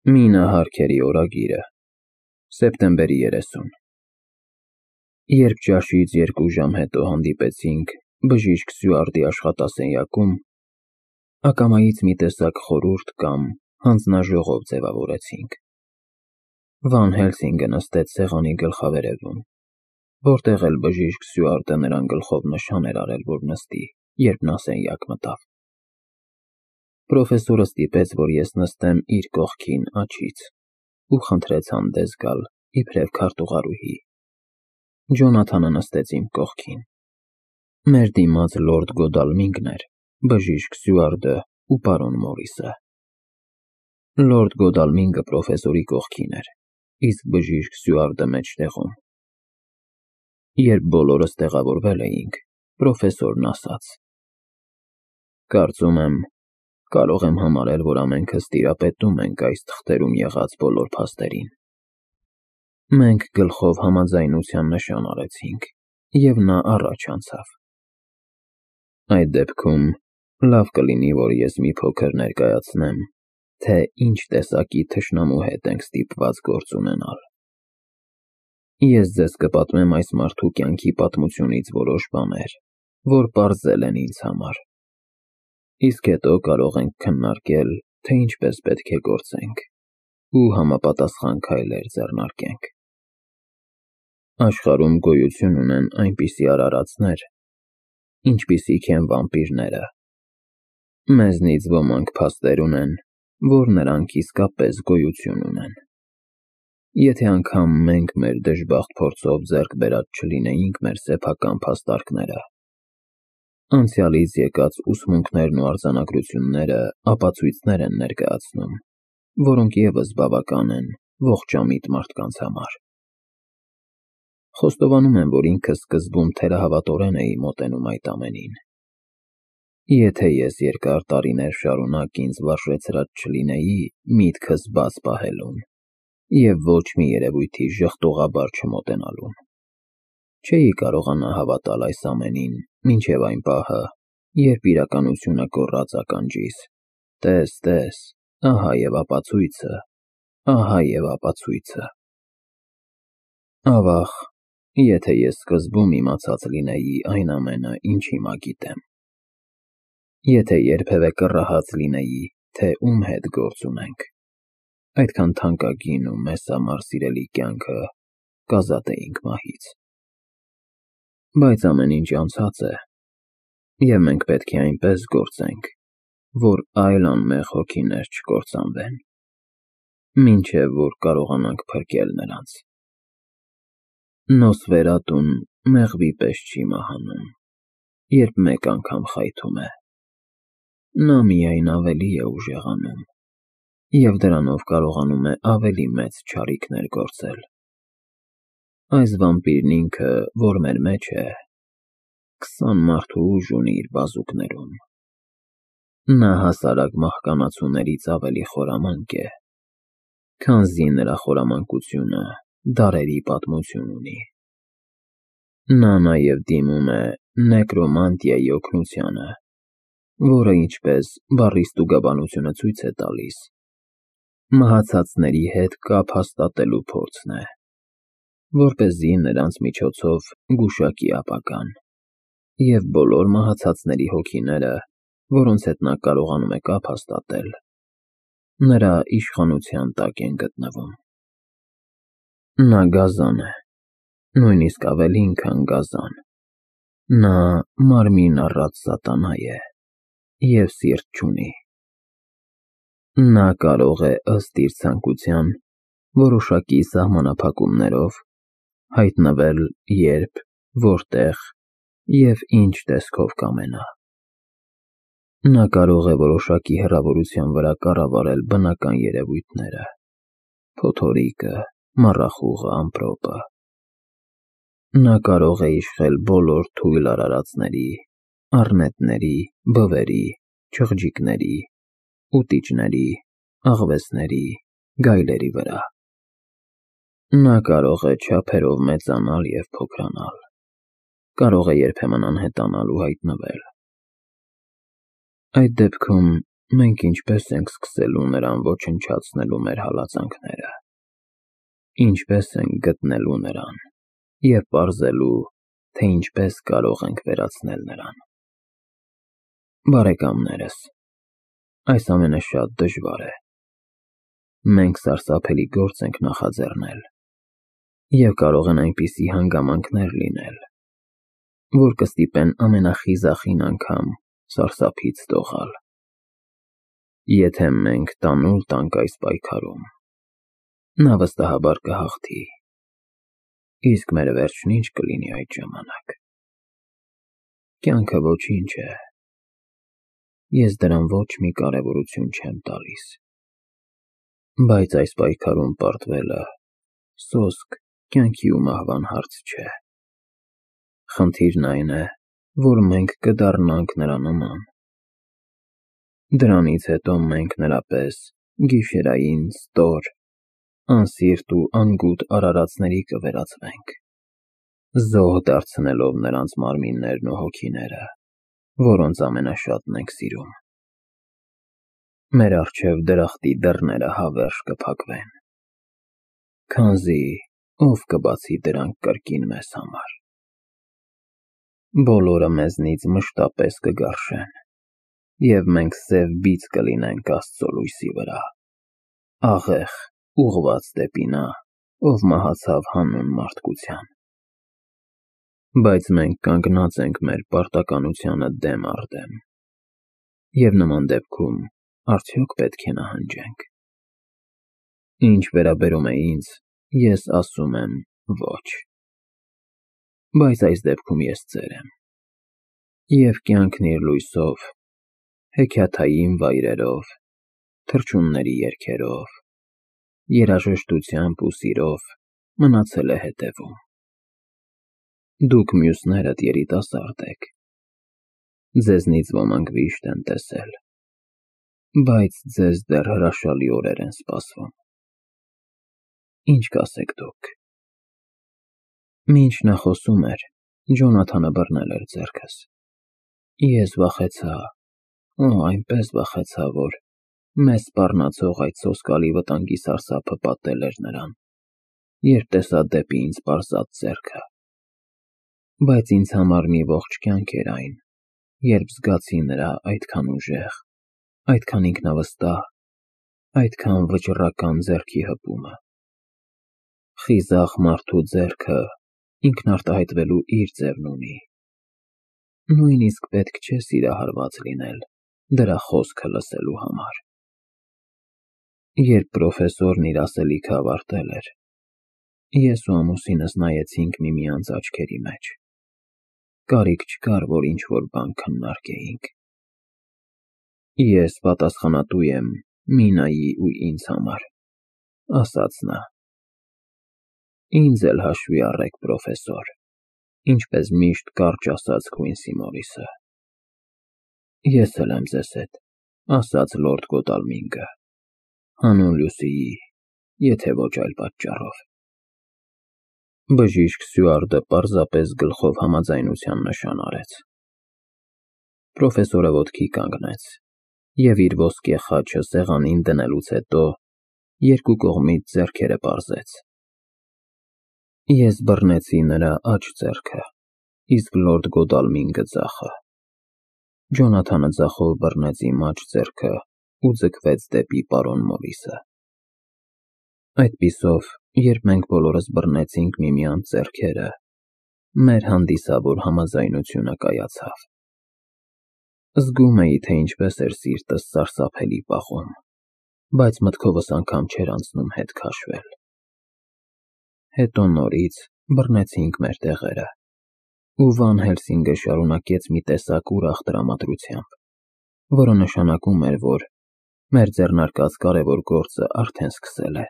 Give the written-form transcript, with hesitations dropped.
Մինը Հարքերի օրագիրը, սեպտեմբերի 30։ Երբ ճաշից 2 ժամ հետո հանդիպեցինք բժիշկ Սյուարտի աշխատասենյակում, ակամայից մի տեսակ խորհուրդ կամ հանձնաժողով ձևավորեցինք։ Վան Հելսինգը նստեց սեղանի գլխավերևում, որտեղ էլ բժիշկ Սյուարտը նրան գլխով նշան էր արել, որ նստի, երբ նա սենյակ մտավ։ Պրոֆեսորը ստիպեց, որ ես նստեմ իր կողքին աջից ու խնդրեց հանդես գալ իբրև քարտուղարուհի։ Ջոնաթանը նստեց իմ կողքին։ Մեր դիմաց լորդ Գոդալմինգն էր, բժիշկ Սյուարտը ու պարոն Մորիսը։ Լորդ Գոդալմինգը պրոֆեսորի կողքին էր, իսկ բժիշկ Սյուարտը մեջտեղում։ Երբ բոլորս տեղավորվել էինք, պրոֆեսորն ասաց. Կարծում եմ, կարող եմ համարել, որ ամենքս տիրապետում ենք այս թղթերում եղած բոլոր փաստերին։ Մենք գլխով համաձայնության նշան արեցինք, և նա առաջ անցավ։ Այդ դեպքում լավ կլինի, որ ես մի փոքր ներկայացնեմ, թե ինչ տեսակի թշնամու հետ ենք ստիպված գործ ունենալ։ Ես ձեզ կպատմեմ այս մարդու կյանքի պատմությունից որոշ բաներ, որ պարզել են ինձ համար։ Իսկ հետո կարող ենք քննարկել, թե ինչպես պետք է գործենք ու համապատասխան քայլեր ձեռնարկենք։ Աշխարհում գոյություն ունեն այնպիսի արարածներ, ինչպիսիք են վամպիրները։ Մեզնից ոմանք փաստեր ունեն, որ նրանք իսկապես գոյություն ունեն։ Եթե անգամ մենք մեր դժբախտ փորձով ձեռք բերած չլինեինք մեր սեփական փաստարկները, անցյալից եկած ուսմունքներն ու արձանագրությունները ապացույցներ են ներկայացնում, որոնք ևս բավական են ողջամիտ մարդկանց համար։ Խոստովանում եմ, որ ինքս սկզբում թերահավատորեն էի մոտենում այդ ամենին։ Եթե ես երկար տարիներ շարունակ ինձ վարժեցրած չլինեի միտքս բաց պահելուն և ոչ մի երևույթի ժխտողաբար չմոտենալուն, չէի կարողանա հավատալ այս ամենին մինչև այն պահը, երբ իրականությունը գոռաց ականջիս. տես, ահա և ապացույցը, ահա և ապացույցը։ Ավաղ, եթե ես սկզբում իմացած լինեի այն ամենը, ինչ հիմա գիտեմ։ Եթե երբևէ կռահած լինեի, թե ում հետ գործ ունենք, այդքան թանկագին ու մեզ համար սիրելի կյանքը կազատեինք մահից։ Բայց ամեն ինչ անցած է, և մենք պետք է այնպես գործենք, որ այլ անմեղ հոգիներ չկործանվեն, մինչև որ կարողանանք փրկել նրանց։ Նոսֆերատուն մեղվի պես չի մահանում, երբ մեկ անգամ խայթում է։ Նա միայն ավելի է ուժեղանում, և դրանով կարողանում է ավելի մեծ չարիքներ գործել։ Այս վամպիրն ինքը, որ մեր մեջ է, 20 մարդու ուժ ունի իր բազուկներում։ Նա հասարակ մահկանացուներից ավելի խորամանկ է, քանզի նրա խորամանկությունը դարերի պատմություն ունի։ Նա նաև դիմում է նեկրոմանտիայի օգնությանը, որը, ինչպես բառի ստուգաբանությունը ցույց է տալիս, մահացածների հետ կապ հաստատելու փորձն է, որպեսզի նրանց միջոցով գուշակի ապագան, և բոլոր մահացածների հոգիները, որոնց հետ նա կարողանում է կապ հաստատել, նրա իշխանության տակ են գտնվում։ Նա գազան է, նույնիսկ ավելին, քան գազան։ Նա մարմին առած սատանա է և սիրտ չունի։ Նա կարող է ըստ իր ցանկության որոշակի սահմանափակումներով հայտնվել երբ, որտեղ և ինչ տեսքով կամենա։ Նա կարող է որոշակի հեռավորության վրա կառավարել բնական երևույթները՝ փոթորիկը, մառախուղը, ամպրոպը։ Նա կարող է իշխել բոլոր թույլ արարածների, առնետների, բվերի, չղջիկների, ուտիչների, աղվեսների, գայլերի վրա։ Նա կարող է չափերով մեծանալ և փոքրանալ, կարող է երբեմն անհետանալ ու հայտնվել։ Այդ դեպքում մենք ինչպես ենք սկսելու նրան ոչնչացնելու մեր հալածանքները, ինչպես ենք գտնելու նրան և պարզելու, թե ինչպես կարող ենք վերացնել նրան։ Բարեկամներս, այս ամենը շատ դժվար է։ Մենք սարսափելի գործ ենք նախաձեռնել, և կարող են այնպիսի հանգամանքներ լինել, որ կստիպեն ամենախիզախին անգամ սարսափից դողալ։ Եթե մենք տանուլ տանք այս պայքարում, նա վստահաբար կհաղթի, իսկ մեր վերջն ի՞նչ կլինի այդ ժամանակ։ Կյանքը ոչինչ է, ես դրան ոչ մի կարևորություն չեմ տալիս, բայց այս պայքարում պարտվելը սոսկ կյանքի ու մահվան հարց չէ։ Խնդիրն այն է, որ մենք կդառնանք նրա նման։ Դրանից հետո մենք նրա պես գիշերային ստոր, անսիրտ ու անգութ արարածների կվերածվենք, զոհ դարձնելով նրանց մարմիններն ու հոգիները, որոնց ամենաշատն ենք սիրում։ Մեր առջև դրախտի դռները հավերժ կփակվեն, քանզի ով կբացի դրանք կրկին մեզ համար։ Բոլորը մեզնից մշտապես կգարշեն, և մենք սև բիծ կլինենք Աստծո լույսի վրա, աղեղ ուղղված դեպի նա, ով մահացավ հանուն մարդկության։ Բայց մենք կանգնած ենք մեր պարտականությանը դեմ առ դեմ, և նման դեպքում արդյոք պետք է նահանջենք։ Ինչ վերաբերում է ինձ, ես ասում եմ ոչ։ Բայց այս դեպքում ես ծեր եմ, և կյանքն իր լույսով, հեքիաթային վայրերով, թռչունների երգերով, երաժշտությամբ ու սիրով մնացել է հետևում։ Դուք մյուսներդ երիտասարդ եք, ձեզնից ոմանք վիշտ են տեսել, բայց ձեզ դեռ հրաշալի օրեր են սպասվում։ Ինչ կասեք դուք։ Մինչ նա խոսում էր, Ջոնաթանը բռնել էր ձեռքս։ Ես վախեցա, այնպես վախեցա, որ մեզ սպառնացող այդ սոսկալի վտանգի սարսափը պատել էր նրան, երբ տեսա դեպի ինձ պարզած ձեռքը։ Բայց ինձ համար մի ողջ կյանք էր այն, երբ զգացի նրա այդքան ուժեղ, այդքան ինքնավստահ, այդքան վճռական ձեռքի հպումը։ Խիզախ մարդու ձեռքը ինքնարտահայտվելու իր ձևն ունի։ Նույնիսկ պետք չէ սիրահարված լինել դրա խոսքը լսելու համար։ Երբ պրոֆեսորն իր ասելիքը ավարտել էր, ես ու ամուսինս նայեցինք միմյանց աչքերի մեջ։ Կարիք չկար, որ ինչ-որ բան քննարկեինք։ Ես պատասխանատու եմ Մինայի ու ինձ համար, ասաց նա։ Ինձ էլ հաշվի առեք, պրոֆեսոր, ինչպես միշտ կարճ ասաց Քուինսի Մորիսը։ Ես էլ եմ ձեզ հետ, ասաց լորդ Գոդալմինգը, հանուն Լյուսիի, եթե ոչ այլ պատճառով։ Բժիշկ Սյուարտը պարզապես գլխով համաձայնության նշան արեց։ Պրոֆեսորը ոտքի կանգնեց և իր ոսկե խաչը սեղանին դնելուց հետո երկու կողմից ձեռքերը պարզեց։ Ես բռնեցի նրա աջ ձեռքը, իսկ լորդ Գոդալմինգը ձախը։ Ջոնաթանը ձախով բռնեց իմ աջ ձեռքը ու ձգվեց դեպի պարոն Մորիսը։ Այդպիսով, երբ մենք բոլորս բռնեցինք միմյանց ձեռքերը, մեր հանդիսավոր համաձայնությունը կայացավ։ Զգում էի, թե ինչպես էր սիրտս սարսափելի պաղում, բայց մտքովս անգամ չէր անցնում հետ քաշվել։ Հետո նորից բռնեցինք մեր տեղերը, ու Վան Հելսինգը շարունակեց մի տեսակ ուրախ տրամադրությամբ, որը նշանակում էր, որ մեր ձեռնարկած կարևոր գործը արդեն սկսել է։